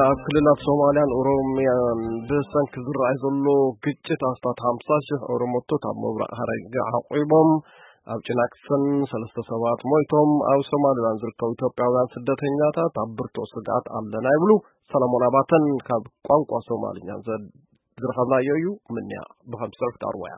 ኣብ ክልላት ሶማልያን ኦሮምያን ብሰንኪ ዝረኣይ ዘሎ ግጭት ኣስታት ሓምሳ ሽሕ ኦሮሞቶት ኣብ ምብራቕ ሃረርጌ ዓቑቦም። ኣብ ጭናክሰን ሰለስተ ሰባት ሞይቶም። ኣብ ሶማሊላንድ ዝርከቡ ኢትዮጵያውያን ስደተኛታት ኣብ ብርቱዕ ስግኣት ኣለና ይብሉ። ሰለሞን ኣባተን ካብ ቋንቋ ሶማልኛ ዘ- ዝረኸብናዮ እዩ። ምንያ ብኸም ዝሰርፍ ታርዋያ።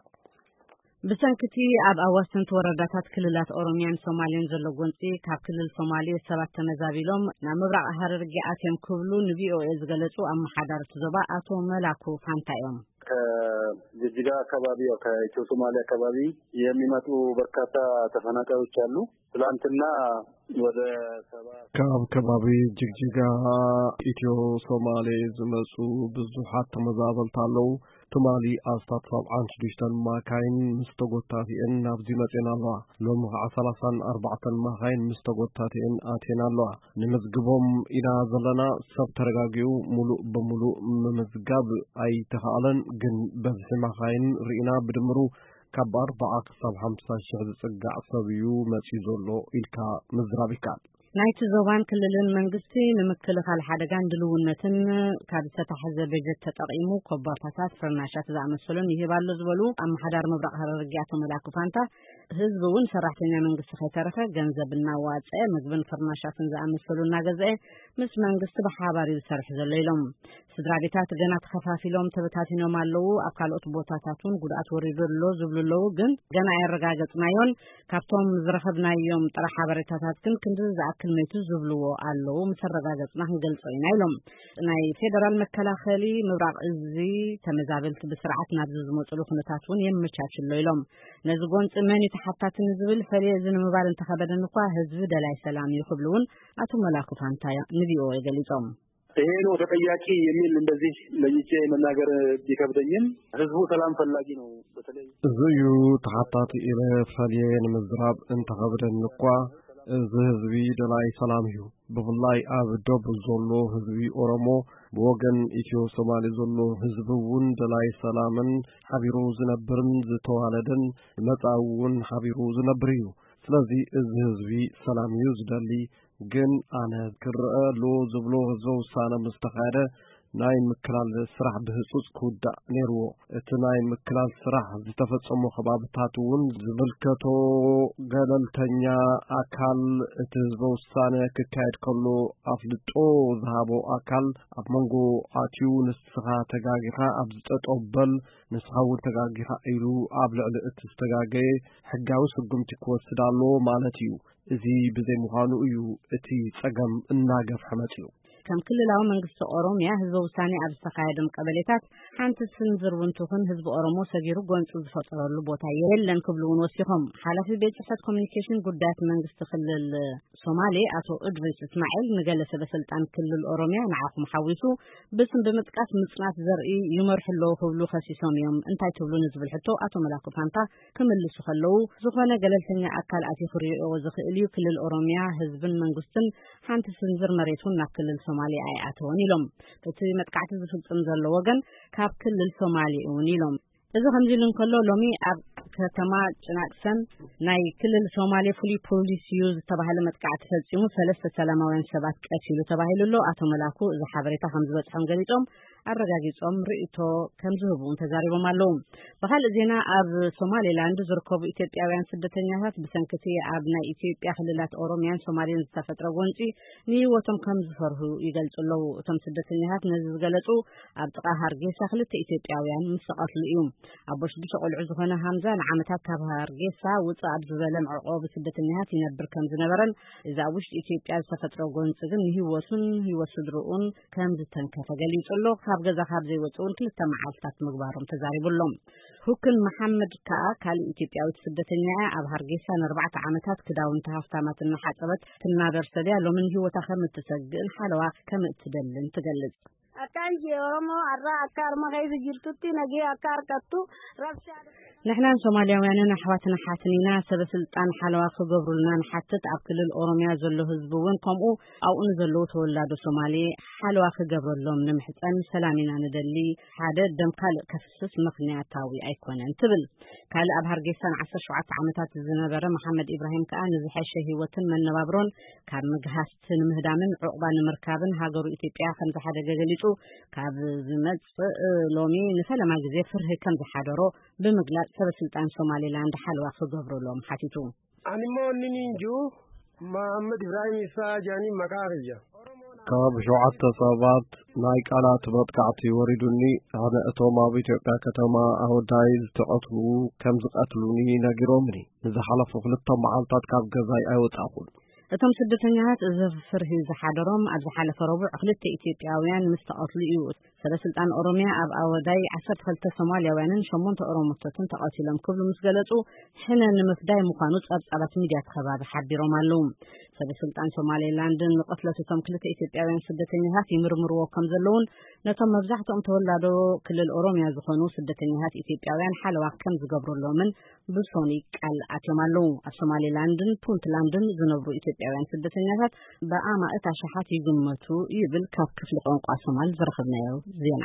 ብሰንክቲ ኣብ ኣዋሰንቲ ወረዳታት ክልላት ኦሮምያን ሶማሌን ዘሎ ጎንፂ፣ ካብ ክልል ሶማሌ ሰባት ተመዛቢሎም ናብ ምብራቕ ሃረርጌ ኣትዮም ክብሉ ንቪኦኤ ዝገለጹ ኣመሓዳርቲ ዞባ ኣቶ መላኩ ፋንታ እዮም። ከጅጅጋ አካባቢ፣ ያው ከኢትዮ ሶማሌ አካባቢ የሚመጡ በርካታ ተፈናቃዮች አሉ። ትላንትና ወደ ሰባ ካብ ከባቢ ጅግጅጋ ኢትዮ ሶማሌ ዝመፁ ብዙሓት ተመዛበልቲ ኣለዉ። ትማሊ ኣስታት ሰብዓን ሽዱሽተን ማካይን ምስ ተጎታቲአን ናብዚ መፅኤን ኣለዋ። ሎሚ ከዓ ሰላሳን ኣርባዕተን ማካይን ምስ ተጎታቲአን ኣትየን ኣለዋ። ንምዝግቦም ኢና ዘለና። ሰብ ተረጋጊኡ ሙሉእ ብሙሉእ ምምዝጋብ ኣይተኻእለን፣ ግን በዝሒ ማካይን ርኢና ብድምሩ ካብ ኣርባዓ ክሳብ ሓምሳ ሽሕ ዝጽጋዕ ሰብ እዩ መጺኡ ዘሎ ኢልካ ምዝራብ ይከኣል። ናይቲ ዞባን ክልልን መንግስቲ ንምክልኻል ሓደጋን ድልውነትን ካብ ዝተታሕዘ በጀት ተጠቒሙ ኮባርታታት፣ ፍርናሻት ዝኣመሰሉን ይህብ ኣሎ ዝበሉ ኣመሓዳሪ ምብራቕ ሃረርጌ ኣቶ መላኩ ፋንታ፣ ህዝቢ እውን ሰራሕተኛ መንግስቲ ከይተረፈ ገንዘብ እናዋፀ ምግብን ፍርናሻትን ዝኣመሰሉ እናገዘአ ምስ መንግስቲ ብሓባር እዩ ዝሰርሕ ዘሎ ኢሎም። ስድራ ቤታት ገና ተኸፋፊሎም ተበታቲኖም ኣለዉ። ኣብ ካልኦት ቦታታት እውን ጉድኣት ወሪዱ ኣሎ ዝብሉ ኣለዉ። ግን ገና ኣየረጋገጽናዮን። ካብቶም ዝረኸብናዮም ጥረ ሓበሬታታት ግን ክንዲ ዝኣክል መይቱ ዝብልዎ ኣለዉ። ምስ ኣረጋገጽና ክንገልጾ ኢና ኢሎም። ናይ ፌደራል መከላኸሊ ምብራቕ እዚ ተመዛበልቲ ብስርዓት ናብዚ ዝመፅሉ ኩነታት እውን የመቻችሎ ኢሎም። ነዚ ጎንፂ መን እዩ ተሓታቲ ንዝብል ፈልየ እዚ ንምባል እንተኸበደን እኳ ህዝቢ ደላይ ሰላም እዩ ክብሉ እውን ኣቶ መላኩ ፋንታ ንቪኦኤ ገሊጾም። ይሄ ነው ተጠያቂ የሚል እንደዚህ ለይቼ መናገር ቢከብደኝም፣ ህዝቡ ሰላም ፈላጊ ነው። በተለይ እዚ እዩ ተሓታቲ ኢለ ፈልየ ንምዝራብ እንተኸብደኒ እኳ፣ እዚ ህዝቢ ደላይ ሰላም እዩ። ብፍላይ ኣብ ደቡብ ዘሎ ህዝቢ ኦሮሞ፣ ብወገን ኢትዮ ሶማሌ ዘሎ ህዝቢ እውን ደላይ ሰላምን ሓቢሩ ዝነብርን ዝተዋለደን መጻኢ እውን ሓቢሩ ዝነብር እዩ። ስለዚ እዚ ህዝቢ ሰላም እዩ ዝደሊ። ግን ኣነ ክረአ ኣሎ ዝብሎ ህዝበ ውሳነ ምስ ተኻየደ ናይ ምክላል ስራሕ ብህጹጽ ክውዳእ ነይርዎ። እቲ ናይ ምክላል ስራሕ ዝተፈጸሞ ከባብታት እውን ዝምልከቶ ገለልተኛ ኣካል እቲ ህዝበ ውሳነ ክካየድ ከሎ ኣፍልጦ ዝሃቦ ኣካል ኣብ መንጎ ኣትዩ ንስኻ ተጋጊኻ ኣብዚ ጠጠው በል፣ ንስኻ እውን ተጋጊኻ ኢሉ ኣብ ልዕሊ እቲ ዝተጋገየ ሕጋዊ ስጉምቲ ክወስድ ኣለዎ ማለት እዩ። እዚ ብዘይ ምዃኑ እዩ እቲ ጸገም እናገፍሐ መጺኡ። ከም ክልላዊ መንግስቲ ኦሮምያ ህዝበ ውሳኔ ኣብ ዝተኻየዶም ቀበሌታት ሓንቲ ስንዝር እውን ትኹን ህዝቢ ኦሮሞ ሰጊሩ ጎንፂ ዝፈጠረሉ ቦታ የለን ክብሉ እውን ወሲኾም። ሓላፊ ቤት ጽሕፈት ኮሚኒኬሽን ጉዳያት መንግስቲ ክልል ሶማሌ ኣቶ እድሪስ እስማኤል ንገለ ሰበ ስልጣን ክልል ኦሮምያ ንዓኹም ሓዊሱ ብስም ብምጥቃስ ምጽናት ዘርኢ ይመርሑ ኣለዉ ክብሉ ከሲሶም እዮም። እንታይ ትብሉ ንዝብል ሕቶ ኣቶ መላኩ ፋንታ ክምልሱ ከለዉ፣ ዝኾነ ገለልተኛ ኣካል ኣትዩ ክሪኦ ዝኽእል እዩ። ክልል ኦሮምያ ህዝብን መንግስትን ሓንቲ ስንዝር መሬት እውን ናብ ክልል ሶማሌ ኣይኣተወን ኢሎም። እቲ መጥቃዕቲ ዝፍጽም ዘሎ ወገን ካብ ክልል ሶማሌ እውን ኢሎም። እዚ ከምዚ ኢሉ እንከሎ፣ ሎሚ ኣብ ከተማ ጭናቅሰን ናይ ክልል ሶማሌ ፍሉይ ፖሊስ እዩ ዝተባህለ መጥቃዕቲ ፈጺሙ ሰለስተ ሰላማውያን ሰባት ቀቲሉ ተባሂሉ ኣሎ። ኣቶ መላኩ እዚ ሓበሬታ ከም ዝበጽሖም ገሊጾም፣ ኣረጋጊጾም ርእይቶ ከም ዝህቡ እውን ተዛሪቦም ኣለዉ። ብኻልእ ዜና፣ ኣብ ሶማሌላንድ ዝርከቡ ኢትዮጵያውያን ስደተኛታት ብሰንክቲ ኣብ ናይ ኢትዮጵያ ክልላት ኦሮምያን ሶማሌን ዝተፈጥረ ጎንጺ ንህይወቶም ከም ዝፈርሁ ይገልጹ ኣለዉ። እቶም ስደተኛታት ነዚ ዝገለጹ ኣብ ጥቓ ሃርጌሳ ክልተ ኢትዮጵያውያን ምስ ተቐትሉ እዩ። ኣቦ ሽዱሽተ ቆልዑ ዝኾነ ሃምዛ ንዓመታት ካብ ሃርጌሳ ውጽእ ኣብ ዝበለ መዕቆቢ ስደተኛታት ይነብር ከም ዝነበረን፣ እዚ ኣብ ውሽጢ ኢትዮጵያ ዝተፈጥረ ጎንጺ ግን ንህይወቱን ህይወት ስድርኡን ከም ዝተንከፈ ገሊጹ ኣሎ። ካብ ገዛ ካብ ዘይወጽእ እውን ክልተ መዓልትታት ምግባሮም ተዛሪቡ ኣሎ። ሁክን መሓመድ ከኣ ካልእ ኢትዮጵያዊት ስደተኛ እያ። ኣብ ሃርጌሳ ንኣርባዕተ ዓመታት ክዳውንቲ ሃፍታማት እናሓጸበት ትናበር ሰብ እያ። ሎሚ ንህይወታ ከም እትሰግእን ሓለዋ ከም እትደልን ትገልጽ። Akkaan jee Oromoo har'a akka harma keessa jirtutti nagee akka harkattu rabshaa ንሕናን ሶማልያውያንን ኣሕዋትን ኣሓትን ኢና። ሰበ ስልጣን ሓለዋ ክገብሩልና ንሓትት። ኣብ ክልል ኦሮምያ ዘሎ ህዝቢ እውን ከምኡ፣ ኣብኡ ንዘለዉ ተወላዶ ሶማሌ ሓለዋ ክገብረሎም ንምሕፀን። ሰላም ኢና ንደሊ። ሓደ ደም ካልእ ከፍስስ ምኽንያታዊ ኣይኮነን ትብል። ካልእ ኣብ ሃርጌሳ ን ዓሰርተ ሸውዓተ ዓመታት ዝነበረ መሓመድ ኢብራሂም ከኣ ንዝሐሸ ህይወትን መነባብሮን ካብ ምግሃስ ንምህዳምን ዑቕባ ንምርካብን ሃገሩ ኢትዮጵያ ከም ዝሓደገ ገሊጹ። ካብ ዝመጽእ ሎሚ ንፈለማ ግዜ ፍርሂ ከም ዝሓደሮ ብምግላጽ፣ ሰበ ስልጣን ሶማሌላንድ ሓለዋ ክገብሩሎም ሓቲቱ። Ani immoo inni niin jiru Mahammad Ibrahim Isaa jaanii maqaa kiyya. ካብ ሸውዓተ ሰባት ናይ ቃላት መጥቃዕቲ ወሪዱኒ። ኣነ እቶም ኣብ ኢትዮጵያ ከተማ ኣወዳይ ዝተቐትሉ ከም ዝቐትሉኒ ነጊሮምኒ። ንዝሓለፉ ክልተ መዓልታት ካብ ገዛይ ኣይወጻኹን። እቶም ስደተኛታት እዚ ፍርሂ ዝሓደሮም ኣብ ዝሓለፈ ረቡዕ ክልተ ኢትዮጵያውያን ምስ ተቐትሉ እዩ። ሰበ ስልጣን ኦሮምያ ኣብ ኣወዳይ ዓሰርተ ክልተ ሶማልያውያንን ሸሞንተ ኦሮሞቶትን ተቐቲሎም ክብሉ ምስ ገለጹ፣ ሕነ ንምፍዳይ ምዃኑ ጸብጻባት ሚድያ እቲ ከባቢ ሓቢሮም ኣለዉ። ሰበ ስልጣን ሶማሌላንድን ንቕትለት እቶም ክልተ ኢትዮጵያውያን ስደተኛታት ይምርምርዎ ከም ዘለውን፣ ነቶም መብዛሕትኦም ተወላዶ ክልል ኦሮምያ ዝኾኑ ስደተኛታት ኢትዮጵያውያን ሓለዋ ከም ዝገብሩሎምን ብሶኒ ቃል ኣትዮም ኣለዉ። ኣብ ሶማሌላንድን ፑንትላንድን ዝነብሩ ኢትዮጵያውያን ስደተኛታት ብኣማእት ኣሽሓት ይግመቱ ይብል ካብ ክፍሊ ቋንቋ ሶማል ዝረኸብናዮ ዜና።